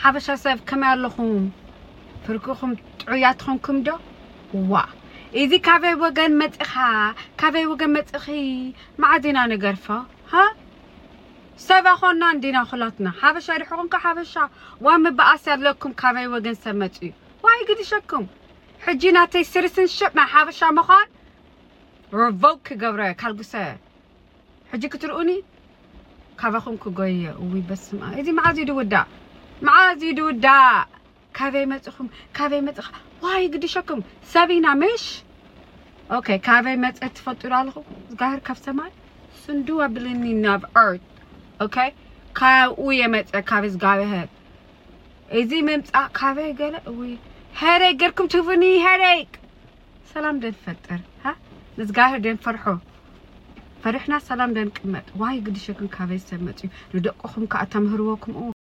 ሓበሻ ሰብ ከመይ ኣለኹም? ፍርቅኹም ጥዑያት ኾንኩም ዶ? ዋ፣ እዚ ካበይ ወገን መጺኻ፣ ካበይ ወገን መጺኺ? መዓዝ ኢና ንገርፎ? ሃ? ሰብ ኣኾና እንዲና ኩላትና። ሓበሻ ድሕኹም ከ ሓበሻ። ዋ፣ ምበኣስ ያለኩም ካበይ ወገን ሰብ መጺኡ። ዋይ ግድሸኩም። ሕጂ ናተይ ስርስን ሽፕ ናይ ሓበሻ ምዃን ሪቮክ ክገብረ ካልጉሰ። ሕጂ ክትርእኒ ካባኹም ክጎየ። እውይ በስመ ኣብ። እዚ መዓዝ እዩ ድውዳእ? መዓዝ እዩ ድውዳእ? ካበይ መጽኹም? ካበይ መጽኻ? ዋይ ግድሸኩም። ሰብ ኢና ምሽ? ኦኬ፣ ካበይ መጸ ትፈልጡ ዶ ኣለኹም? ዝጋህር ካብ ሰማይ ስንዱ ኣብልኒ ናብ ኤርት። ኦኬ፣ ካብኡ የመጸ ካብ እግዚኣብሔር። እዚ ምምጻእ ካበይ ገለ? እውይ፣ ሄደይ ገርኩም ትህቡኒ፣ ሄደይ። ሰላም ደንፈጥር፣ ሃ? ንዝጋህር ደንፈርሖ። ፈሪሕና ሰላም ደንቅመጥ። ዋይ ግድሸኩም ካበይ ሰብ መጽዩ? ንደቅኹም ከኣ ተምህርዎ ከምኡ።